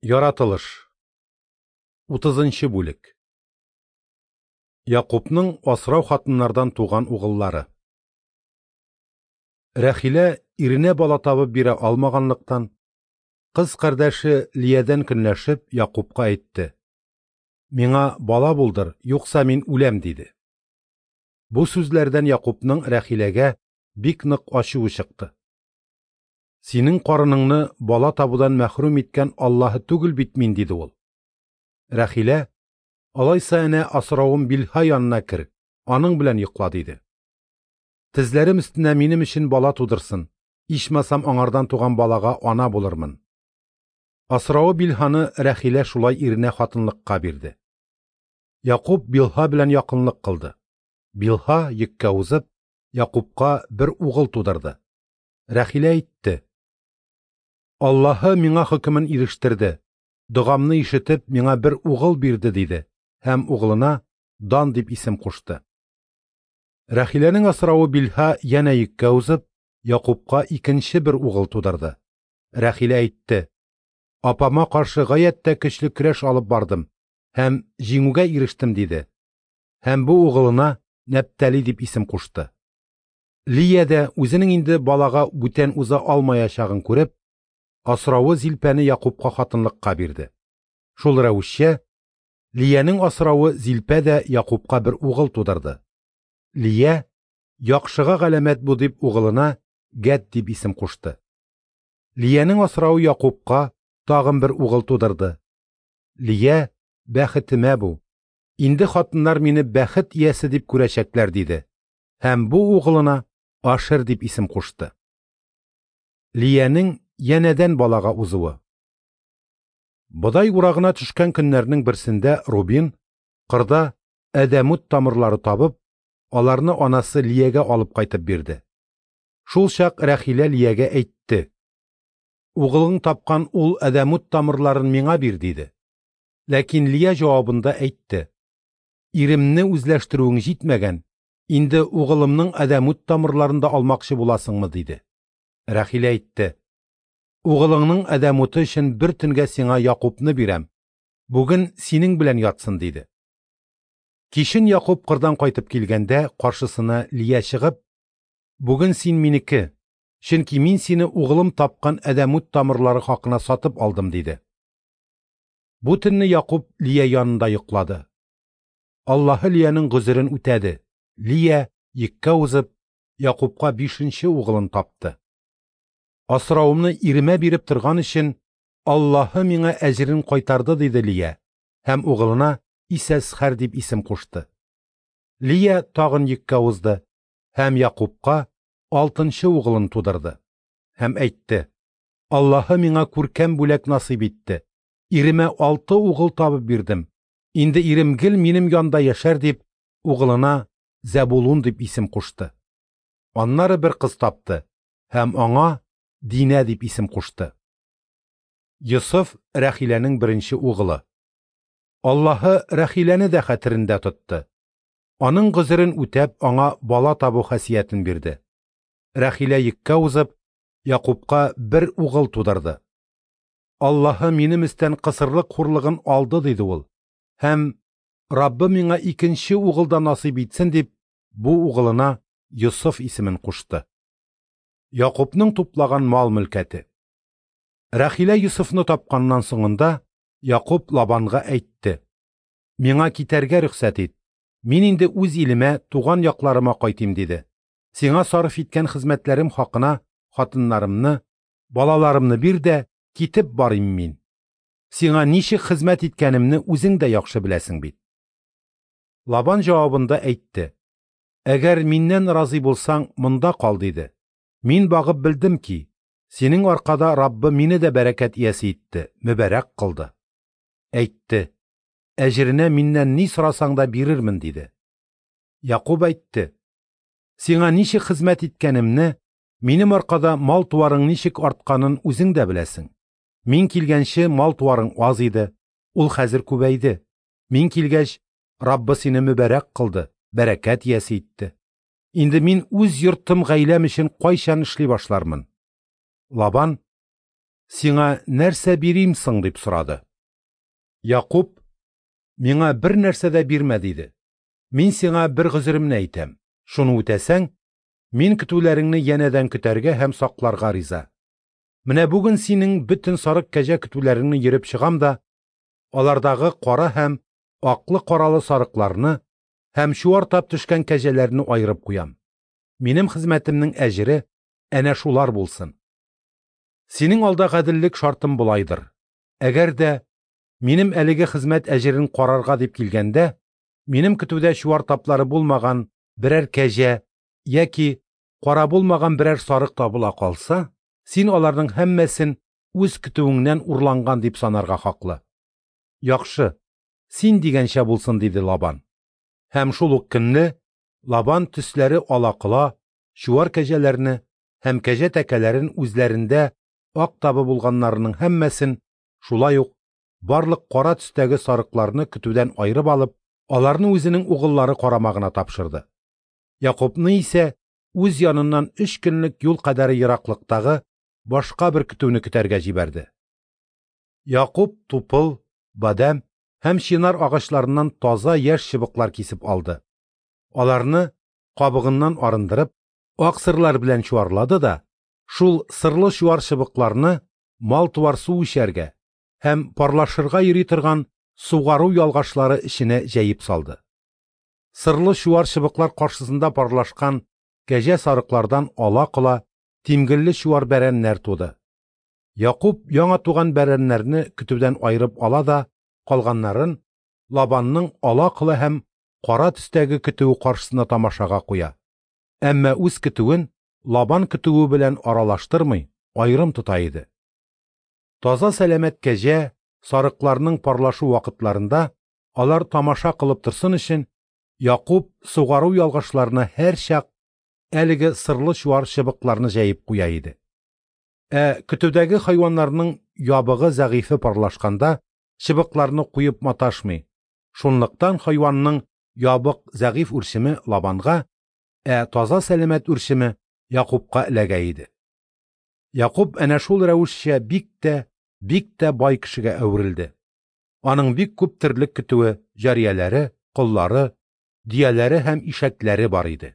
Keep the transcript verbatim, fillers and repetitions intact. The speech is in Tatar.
Яратылыш. Утызынчы бүлек. Якупның асрау хатыннардан туган угыллары. Рәхилә иренә бала табып бирә алмаганлыктан, кыз кардәше Лиядән көнләшеп, Якупка әйтте: «Миңа бала булдыр, юкса мин үләм», – диде. Бу сүзләрдән Якупның Рәхиләгә бик нык ачуы чыкты. «Синең карыныңны бала табудан мәхрүм иткән Аллаһы түгел бит мин», – диде ул. Рәхилә: «Алайса әнә асравым Билһа янына кер, аның белән йокла», – диде. «Тезләрем өстенә минем өчен бала тудырсын, ичмасам аңардан туган балага ана булырмын». Асравы Билһаны Рәхилә шулай иренә хатынлыкка бирде. Якуп Билһа белән якынлык кылды. Билһа йөккә узып, Якупка бер угыл тудырды. Рәхилә әйтте: «Аллаһы миңа хөкемен ирештерде, догамны ишетеп, миңа бер угыл бирде», – диде һәм угылына Дан дип исем кушты. Рәхиләнең асравы Билһа янә йөккә узып, Якупка икенче бер угыл тудырды. Рәхилә әйтте: «Апама каршы гаять тә көчле көрәш алып бардым һәм җиңүгә ирештем», – диде. Һәм бу угылына Нәптали дип исем кушты. Лия дә үзенең инде балага бүтән уза алмаячагын күреп, асравы Зилпәне Якупка хатынлыкка бирде. Шул рәвешчә Лиянең асравы Зилпә дә Якупка бер угыл тудырды. Лия: «Яхшыга галәмәт бу», – дип угылына Гәд дип исем кушты. Лиянең асравы Якупка тагын бер угыл тудырды. Лия: «Бәхетемә бу. Инде хатыннар мине бәхет иясе дип күрәчәкләр», – диде. Һәм бу угылына Ашер дип исем кушты. Лиянең янәдән балага узуы. Бодай урагына төшкән көннәрнең берсендә Рубин кырда әдәмут тамырлары табып, аларны анасы Лиягә алып кайтып бирде. Шул чак Рәхилә Лиягә әйтте: «Угылың тапкан ул әдәмут тамырларын миңа бир», – диде. Ләкин Лия җавабында әйтте: «Иремне үзләштерүең җитмәгән, инде угылымның әдәмут тамырларын да алмакчы буласыңмы?» – диде. Рәхилә әйтте: «Угылыңның әдәмуты өчен бер төнгә сиңа Якупны бирәм, бүген синең белән ятсын», – диде. Кичен Якуп кырдан кайтып килгәндә, каршысына Лия чыгып: «Бүген син минеке, чөнки мин сине угылым тапкан әдәмут тамырлары хакына сатып алдым», – диде. Бу төнне Якуп Лия янында йоклады. Аллаһы Лиянең гозерен үтәде. Лия йөккә узып, Якупка бишенче угылын тапты. «Асравымны иремә биреп торган өчен Аллаһы миңа әҗерен кайтарды», – диде Лия һәм угылына Исәсхәр дип исем кушты. Лия тагын йөккә узды һәм Якупка алтынчы угылын тудырды. Һәм әйтте: «Аллаһы миңа күркәм бүләк насыйп итте. Иремә алты угыл табып бирдем. Инде ирем гел минем янда яшәр», – дип, угылына Зәбулун дип исем кушты. Аннары бер кыз тапты һәм аңа Динә дип исем кушты. Йосыф Рәхиләнең беренче угылы. Аллаһы Рәхиләне дә хәтерендә тотты. Аның гозерен үтәп, аңа бала табу хасиятен бирде. Рәхилә йөккә узып, Якупка бер угыл тудырды. «Аллаһы минем өстән кысырлык хурлыгын алды», – диде ул. Һәм «Раббы миңа икенче угыл да насыйп итсен», – дип, бу угылына Йосыф исемен кушты. Якупның туплаган мал мөлкәте. Рәхилә Йосыфны тапканнан соңында Якуп Лабанга әйтте: «Миңа китәргә рөхсәт ит. Мин инде үз илемә, туган якларыма кайтыйм», – диде. «Сиңа сарыф иткән хезмәтләрем хакына хатыннарымны, балаларымны бир дә, китеп барыйм мин. Сиңа ничек хезмәт иткәнемне үзең дә яхшы беләсең бит». Лабан җавабында әйтте: «Әгәр миннән разый булсаң, монда кал», – диде. «Мин багып белдем ки, синең аркада Раббы мине дә бәрәкәт иясе итте, мөбәрәк кылды». Әйтте: «Әҗеренә миннән ни сорасаң да бирермен», – диде. Якуп әйтте: «Сиңа ничек хезмәт иткәнемне, минем аркада мал-туарың ничек артканын үзең дә беләсең. Мин килгәнче мал-туарың аз иде, ул хәзер күбәйде. Мин килгәч, Раббы сине мөбәрәк кылды, бәрәкәт иясе итте. Инде мин үз йортым гаиләм өчен кайчан эшли башлармын?» Лабан: Сиңа нәрсә бирим соң? – дип сорады. Якуб: Миңа бер нәрсә дә бирмә, – диде. Мин сиңа бер гозеремне әйтәм. Шуны үтәсәң, мин көтүләреңне янәдән көтәргә һәм сакларга риза. Менә бүген синең бөтен сарык кәҗә көтүләреңне йөреп чыгам да, алардагы кара һәм аклы-каралы сарыкларны һәм чуар тап төшкән кәҗәләрне аерып куям. Минем хезмәтемнең әҗере әнә шулар булсын. Синең алда гаделлек шартым болайдыр. Әгәр дә минем әлеге хезмәт әҗерен карарга дип килгәндә, минем көтүдә чуар таплары булмаган берәр кәҗә яки кара булмаган берәр сарык табыла калса, син аларның һәммәсен үз көтүеңнән урланган дип санарга хаклы. Яхшы, син дигәнчә булсын, диде Лабан. Һәм шул ук көнне Лабан төсләре ала-кола чуар кәҗәләрне һәм кәҗә тәкәләрен үзләрендә ак табы булганнарының һәммәсен, шулай ук барлык кара төстәге сарыкларны көтүдән аерып алып, аларны үзенең угыллары карамагына тапшырды. Якубны исә үз яныннан өч көнлек юл кадәре ераклыктагы башка бер көтүне көтәргә җибәрде. Якуб тупыл, бадәм һәм чинар агачларыннан таза яшь чыбыклар кисеп алды. Аларны кабыгыннан арындырып, ак сырлар белән чуарлады да, шул сырлы чуар чыбыкларны мал-туар су эчәргә һәм парлашырга йөри торган сугару ялгашлары эченә җәеп салды. Сырлы чуар чыбыклар каршысында парлашкан кәҗә сарыклардан ала-кола тимгелле чуар бәрәннәр туды. Якуб яңа туган бәрәннәрне көтүдән аерып ала да, калганнарын Лабанның ала-кола һәм кара төстәге көтүе каршысына тамашага куя. Әмма үз көтүен Лабан көтүе белән аралаштырмый, аерым тота иде. Таза сәламәт кәҗә сарыкларның парлашу вакытларында алар тамаша кылып торсын өчен Якуб сугару ялгашларына һәрчак әлеге сырлы чуар чыбыкларны җәеп куя иде. Ә көтүдәге хайваннарның ябыгы зәгыйфе парлашканда чыбыкларны куеп маташмый. Шунлыктан хайванның ябык зәгыйф үрчеме Лабанга, ә таза сәламәт үрчеме Якубка эләгә иде. Якуб әнә шул рәвешчә бик тә, бик тә бай кешегә әверелде. Аның бик күп терлек көтүе, җарияләре, коллары, дөяләре һәм ишәкләре бар иде.